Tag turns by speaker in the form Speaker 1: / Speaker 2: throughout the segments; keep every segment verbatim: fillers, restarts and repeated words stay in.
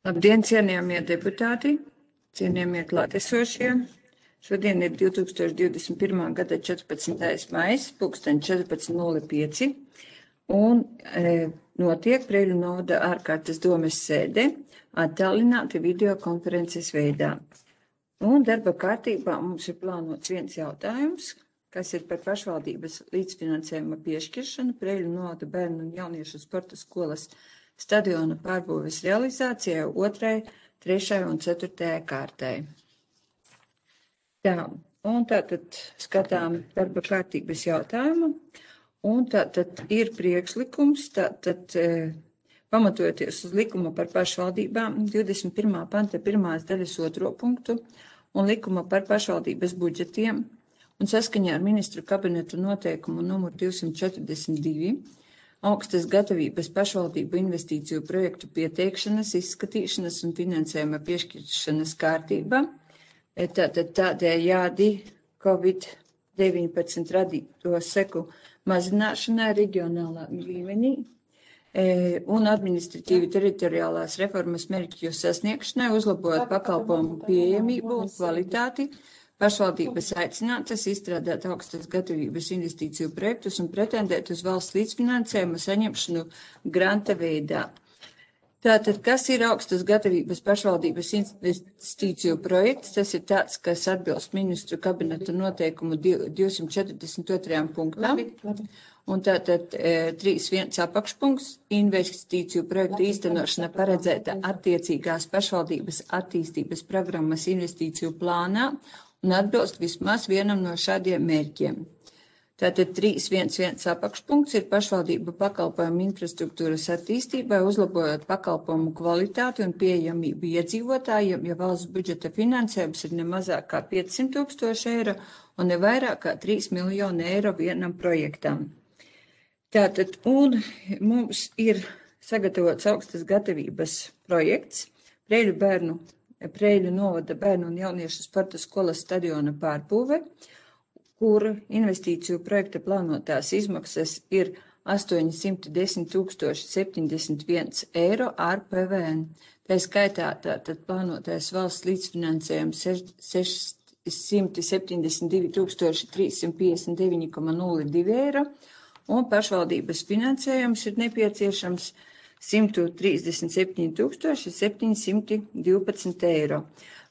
Speaker 1: Labdien, cienījamie deputāti, cienījamie klātesošie. Šodien ir divi tūkstoši divdesmit pirmā gada četrpadsmitais maijs, pulksten četrpadsmit nulle pieci, un e, notiek Preiļu novada ārkārtas domes sēde attālināti videokonferences veidā. Un darba kārtībā mums ir plānots viens jautājums, kas ir par pašvaldības līdzfinansējuma piešķiršanu Preiļu novada bērnu un jauniešu sporta skolas stadiona pārbūves realizācijai otrai, trešai un ceturtajai kārtai. Tā, un tātad skatām darba kārtības jautājumu, un tātad ir priekšlikums, tātad e, pamatojoties uz likuma par pašvaldībām, divdesmit pirmā panta pirmās daļas otro punktu un likuma par pašvaldības budžetiem, un saskaņā ar ministru kabinetu noteikumu numur divsimt četrdesmit divi, augstas gatavības pašvaldību investīciju projektu pieteikšanas, izskatīšanas un finansējuma piešķiršanas kārtība. Tātad tādējādi Covid deviņpadsmit radīto seku mazināšanai reģionālā līmenī un administratīvi teritoriālās reformas mērķu sasniegšanai, uzlabojot pakalpojumu pieejamību un kvalitāti, pašvaldības aicinātas izstrādāt augstas gatavības investīciju projektus un pretendēt uz valsts līdzfinansējumu saņemšanu granta veidā. Tātad, kas ir augstas gatavības pašvaldības investīciju projekts? Tas ir tāds, kas atbilst ministru kabineta noteikumu divsimt četrdesmit otrajam punktam. Un tātad trīs viens apakšpunkts investīciju projektu īstenošana paredzēta attiecīgās pašvaldības attīstības programmas investīciju plānā un atbilst vismaz vienam no šādiem mērķiem. Tātad trīs viens viens apakšpunkts ir pašvaldību pakalpojumu infrastruktūras attīstībai, uzlabojot pakalpojumu kvalitāti un pieejamību iedzīvotājiem, ja valsts budžeta finansējums ir ne mazāk kā piecsimt tūkstoši eiro un ne vairāk kā trīs miljoni eiro vienam projektam. Tātad, un mums ir sagatavots augstas gatavības projekts Preiļu bērnu Preiļu novada bērnu un jauniešu sporta skolas stadiona pārbūve, kur investīciju projekta plānotās izmaksas ir astoņsimt desmit tūkstoši septiņdesmit viens eiro ar P V N. Tā skaitā tātad plānotais valsts līdzfinansējums sešsimt septiņdesmit divi tūkstoši trīssimt piecdesmit deviņi komats nulle divi eiro, un pašvaldības finansējums ir nepieciešams simt trīsdesmit septiņi tūkstoši septiņsimt divpadsmit eiro.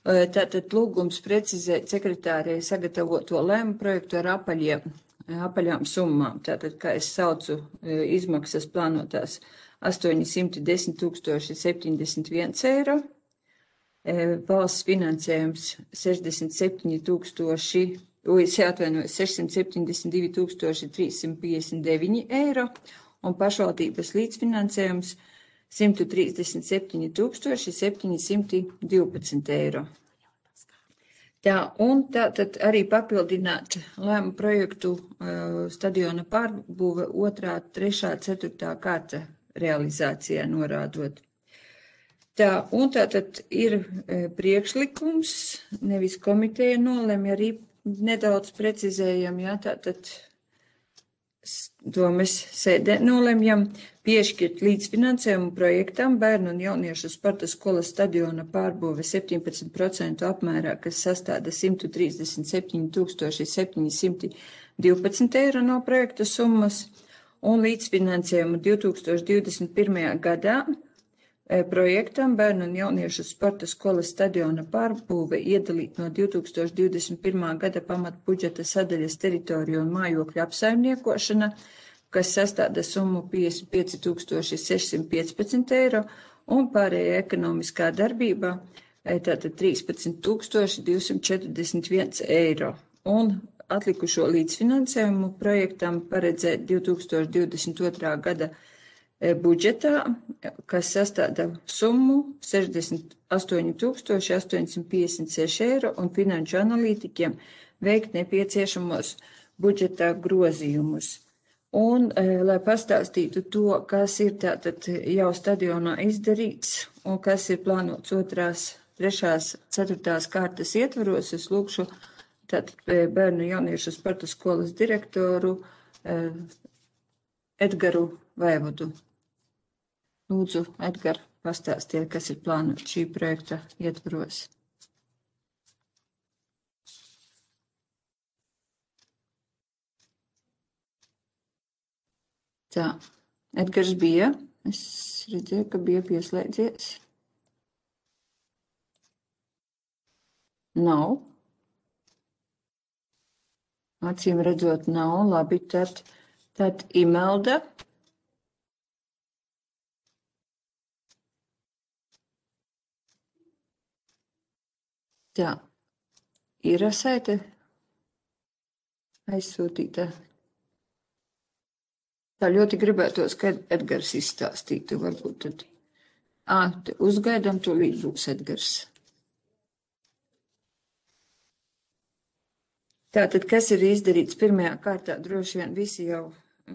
Speaker 1: Tātad lūgums precizēt sekretārei sagatavoto lēmu projektu ar apaļiem, apaļām summām. Tātad, kā es saucu, izmaksas plānotās astoņsimt desmit tūkstoši septiņdesmit viens eiro, valsts finansējums sešdesmit septiņi tūkstoši, es atvainoju, sešsimt septiņdesmit divi tūkstoši trīssimt piecdesmit deviņi eiro, un pašvaldības līdzfinansējums simt trīsdesmit septiņi tūkstoši septiņsimt divpadsmit eiro. Tā, un tā tad arī papildināt lēmu projektu uh, stadiona pārbūve otrā, trešā, ceturtā kārta realizācijā norādot. Tā, un tā tad ir uh, priekšlikums, nevis komiteja nolemj, arī nedaudz precizējam, jā, tā tad to mēs sēdē nolemjam piešķirt līdzfinansējumu projektam bērnu un jauniešu sporta skolas stadiona pārbūve septiņpadsmit procentu apmērā, kas sastāda simt trīsdesmit septiņi tūkstoši septiņsimt divpadsmit eiro no projekta summas, un līdzfinansējumu divi tūkstoši divdesmit pirmajā gadā projektam bērnu un jauniešu sporta skolas stadiona pārbūve iedalīt no divi tūkstoši divdesmit pirmā gada pamatbudžeta sadaļas teritoriju un mājokļu apsaimniekošana, kas sastāda summu piecdesmit pieci tūkstoši sešsimt piecpadsmit eiro, un pārējā ekonomiskā darbībā tātad trīspadsmit tūkstoši divsimt četrdesmit viens eiro. Un atlikušo līdzfinansējumu projektam paredzēt divi tūkstoši divdesmit otrā gada budžetā, kas sastāda summu sešdesmit astoņi tūkstoši astoņsimt piecdesmit seši eiro, un finanšu analītiķiem veikt nepieciešamos budžetā grozījumus. Un, lai pastāstītu to, kas ir tātad jau stadionā izdarīts un kas ir plānots otrās, trešās, ceturtās kārtas ietvaros, es lūkšu tātad bērnu jauniešu sporta skolas direktoru Edgaru Vaivodu. Lūdzu, Edgar, pastāstiet, kas ir plānots šī projekta ietvaros. Tā, Edgars bija. Es redzēju, ka bija pieslēdzies. Nav. Acīm redzot, nav. Labi, tad, tad Imelda. Tā, ir saite aizsūtīta. Tā ļoti gribētos, ka Edgars izstāstītu, varbūt tad. Ā, uzgaidām, tūlīt būs Edgars. Tātad, kas ir izdarīts pirmajā kārtā, droši vien visi jau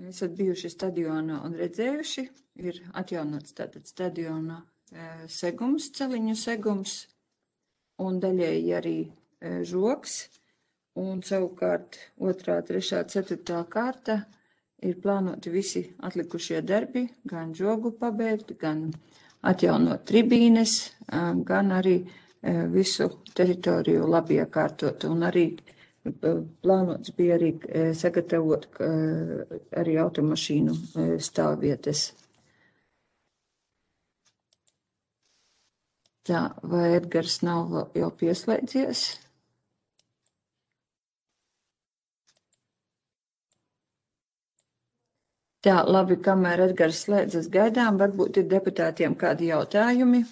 Speaker 1: esat bijuši stadionā un redzējuši, ir atjaunots tātad stadionā segums, celiņu segums, un daļēji arī žoks, un savukārt otrā, trešā, ceturtā kārta ir plānoti visi atlikušie darbi, gan žogu pabeigt, gan atjaunot tribīnes, gan arī visu teritoriju labi iekārtot, un arī plānots bija arī sagatavot arī automašīnu stāvvietas. Tā, vai Edgars nav jau pieslēdzies? Tā, labi, kamēr Edgars slēdzas gaidām, varbūt ir deputātiem kādi jautājumi.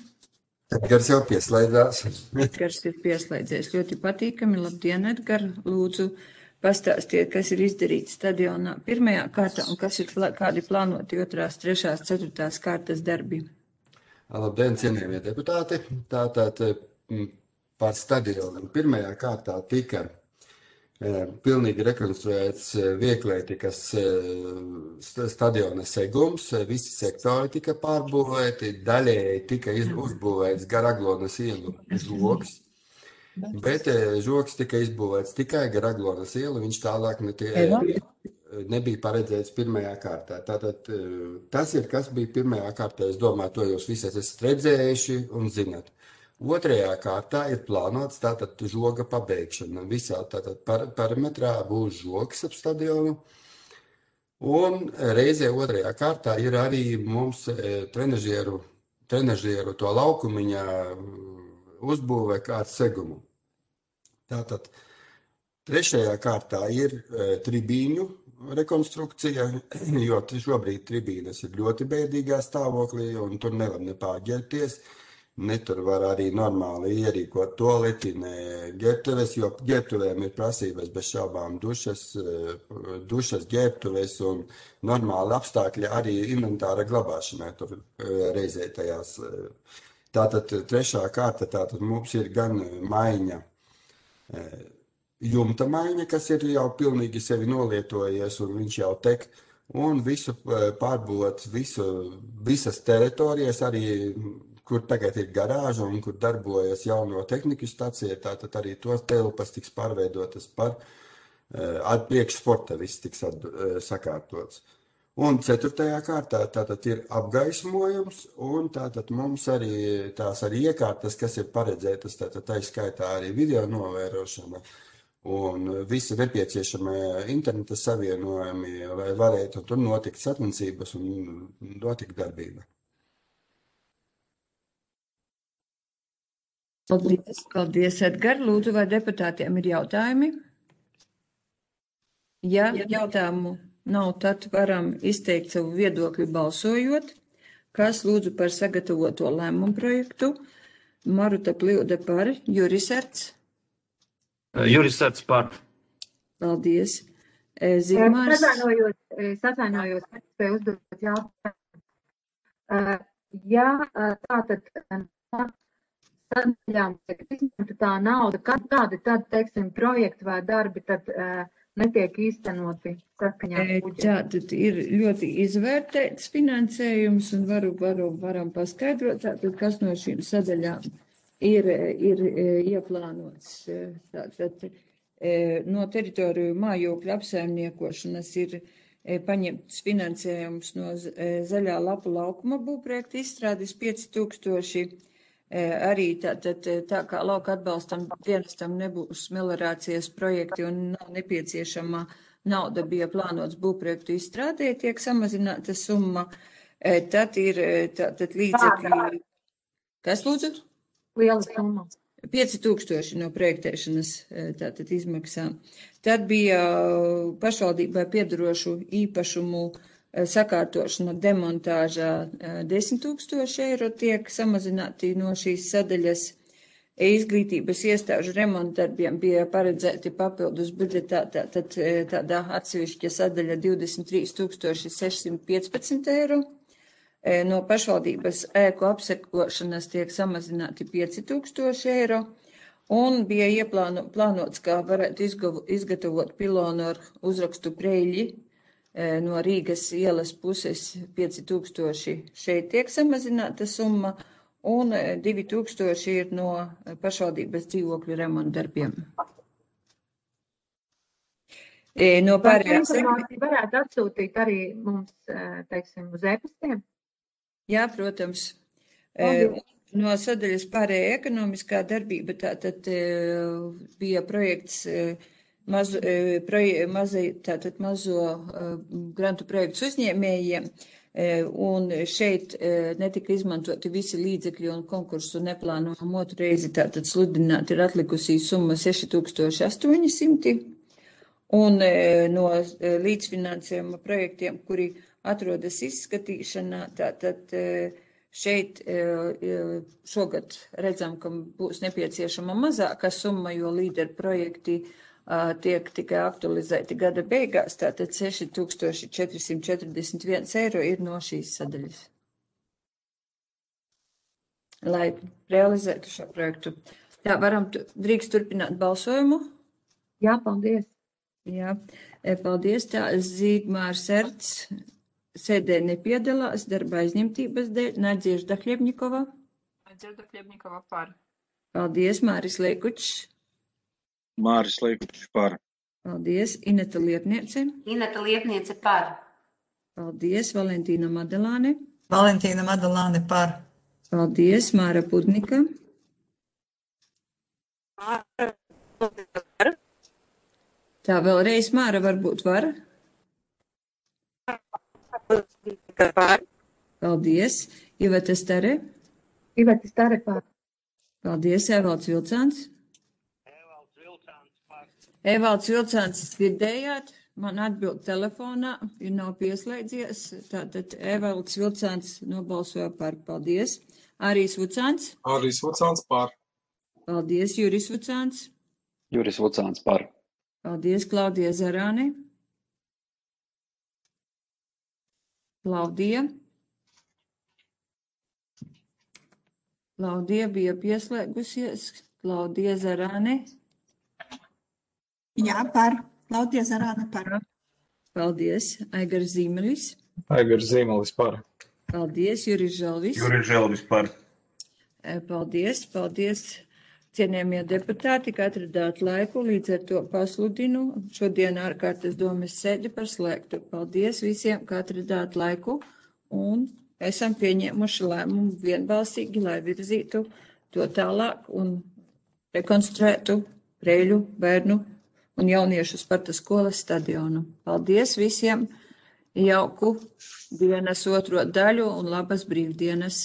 Speaker 2: Edgars jau pieslēdzās.
Speaker 1: Edgars ir pieslēdzies. Ļoti patīkami. Labdien, Edgar. Lūdzu, pastāstiet, kas ir izdarīts stadionā pirmajā kārtā un kas ir kādi plānoti otrās, trešās, ceturtās kārtas darbi.
Speaker 2: Labdien, cienījamie deputāti. Tātad par stadionu pirmajā kārtā tika pilnīgi rekonstruēts vieglietīkas stadiona segums, visi sektori tika pārbūvēti, daļēji tika uzbūvēts gar Aglonas ielu žoks, bet žoks tika izbūvēts tikai gar Aglonas ielu, viņš tālāk netie, nebija paredzēts pirmajā kārtā. Tātad tas ir, kas bija pirmajā kārtā, es domāju, to jūs visi esat redzējuši un zinat. Otrajā kārtā ir plānots tātad žoga pabeigšana. Visā tātad par, perimetrā būs žogs ap stadionu. Un reizē otrajā kārtā ir arī mums e, trenažieru, trenažieru to laukumiņā uzbūvē kā segumu. Tātad trešajā kārtā ir e, tribīņu rekonstrukcija, jo šobrīd tribīnes ir ļoti bēdīgā stāvoklī un tur nevar nepārģērties. Ne tur var arī normāli ierīkot toaleti, ne ģērbtuves, jo ģērbtuvēm ir prasības bez šaubām dušas, dušas ģērbtuves un normāli apstākļi arī inventāra glabāšanai tur reizē tajās. Tātad trešā kārta, tātad mums ir gan maiņa, jumta maiņa, kas ir jau pilnīgi sevi nolietojies un viņš jau tek, un visu pārbūvot, visu, visas teritorijas arī, kur tagad ir garāža un kur darbojas jauno tehniku stacija, tātad arī tos telpas tiks pārveidotas par ar priekš sporta, viss tiks at, sakārtots. Un ceturtajā kārtā tātad ir apgaismojums, un tātad mums arī tās arī iekārtas, kas ir paredzētas, tātad tā skaitā arī video novērošana un visi nepieciešamie interneta savienojumi, lai varētu tur notikt sacensības un notikt darbība.
Speaker 1: Paldies, paldies, Edgar. Lūdzu, vai deputātiem ir jautājumi? Ja jautājumu nav, tad varam izteikt savu viedokli balsojot. Kas lūdzu par sagatavoto lēmumu projektu? Maruta Pļūde par, Juris Erts.
Speaker 3: Juris Erts par.
Speaker 1: Paldies. Zigmārs.
Speaker 4: Atvainojos, es atvainojos, ka spēju uzdot jautājumu. Ja tātad sadaļām izņemta tā nauda, kādi tad, teiksim, projekti vai darbi tad uh, netiek īstenoti saskaņā ar budžetu?
Speaker 1: Tātad ir ļoti izvērtēts finansējums un varu, varu, varam paskaidrot, tātad, kas no šīm sadaļām ir, ir ieplānots. Tātad no teritoriju mājokļu apsaimniekošanas ir paņemts finansējums no Zaļā lapu laukuma būvprojekta izstrādes pieci tūkstoši. Arī tā, tā, tā kā lauka atbalstam dienestam nebūs meliorācijas projekti un nav nepieciešama nauda bija plānots būvprojektu izstrādē, tiek samazināta summa. Tad ir tātad līdzekļi. Kas lūdzu?
Speaker 4: Liela summa.
Speaker 1: pieci tūkstoši no projektēšanas tātad izmaksām. Tad bija pašvaldībai piedarošu īpašumu sakārtošana, demontāžā desmit tūkstoši eiro tiek samazināti no šīs sadaļas. Izglītības iestāžu remontdarbiem bija paredzēti papildus budžetā, tātad tādā atsevišķa sadaļa divdesmit trīs tūkstoši sešsimt piecpadsmit eiro. No pašvaldības ēku apsekošanas tiek samazināti pieci tūkstoši eiro, un bija ieplānots, kā varētu izgatavot pilonu ar uzrakstu Preļļi no Rīgas ielas puses pieci tūkstoši. Šeit tiek samazināta summa, un divi tūkstoši ir no pašvaldības dzīvokļu remontdarbiem. No pārējās
Speaker 4: informāciju varētu atsūtīt arī mums, teiksim, uz e-pastiem?
Speaker 1: Jā, protams. Paldies. No sadaļas pārējā ekonomiskā darbība tātad bija projekts mazu, proje, mazai, tātad mazo grantu projektu uzņēmējiem, un šeit netika izmantoti visi līdzekļi un konkursu neplānojam otru reizi, tātad sludināt ir atlikusī summa seši tūkstoši astoņi simti, un no līdzfinansējuma projektiem, kuri atrodas izskatīšanā, tātad šeit šogad redzam, ka būs nepieciešama mazāka summa, jo līderu projekti tiek tikai aktualizēti gada beigās, tātad seši tūkstoši četri simti četrdesmit viens eiro ir no šīs sadaļas, lai realizētu šo projektu. Tā, varam, drīkst turpināt balsojumu?
Speaker 4: Jā, paldies.
Speaker 1: Jā, paldies. Tā, Zīgmārs Erts sēdē nepiedalās darba aizņemtības dēļ. Nadziežda Hļebņikova.
Speaker 5: Nadziežda Hļebņikova par.
Speaker 1: Paldies. Māris Leikučs.
Speaker 6: Māris Leikučs par.
Speaker 1: Paldies. Ineta Liepniece.
Speaker 5: Ineta Liepniece par.
Speaker 1: Paldies. Valentīna Madalāne.
Speaker 7: Valentīna Madalāne par.
Speaker 1: Paldies. Māra Pudnika.
Speaker 5: Māra Pudnika par.
Speaker 1: Tā vēlreiz Māra varbūt var.
Speaker 5: Par.
Speaker 1: Paldies. Iveta Stare.
Speaker 4: Iveta Stare par.
Speaker 1: Paldies. Evalds Vilcāns.
Speaker 3: Evalds Vilcāns par.
Speaker 1: Evalds Vilcāns dzirdējāt, man atbild telefonā, ja nav pieslēdzies. Tātad Evalds Vilcāns nobalsoja par. Paldies. Arijs Vucāns.
Speaker 8: Arijs Vucāns par.
Speaker 1: Paldies. Juris Vucāns.
Speaker 9: Juris Vucāns par.
Speaker 1: Paldies. Klaudija Zarāne. Klaudija. Klaudija bija pieslēgusies. Klaudija Zarāne.
Speaker 7: Jā, par. Klaudija Zarāne par.
Speaker 1: Paldies. Aigars Zīmelis.
Speaker 8: Aigars Zīmelis par.
Speaker 1: Paldies. Juris Žalvis.
Speaker 3: Juris Žalvis par.
Speaker 1: Paldies. Paldies. Cienījamie deputāti, ka atradāt laiku, līdz ar to pasludinu šodien ārkārtas domes sēdi par slēgtu. Paldies visiem, ka atradāt laiku, un esam pieņēmuši lēmumu vienbalsīgi, lai virzītu to tālāk un rekonstruētu Preļļu bērnu un jauniešu Sparta skolas stadionu. Paldies visiem, jauku dienas otro daļu un labas brīvdienas!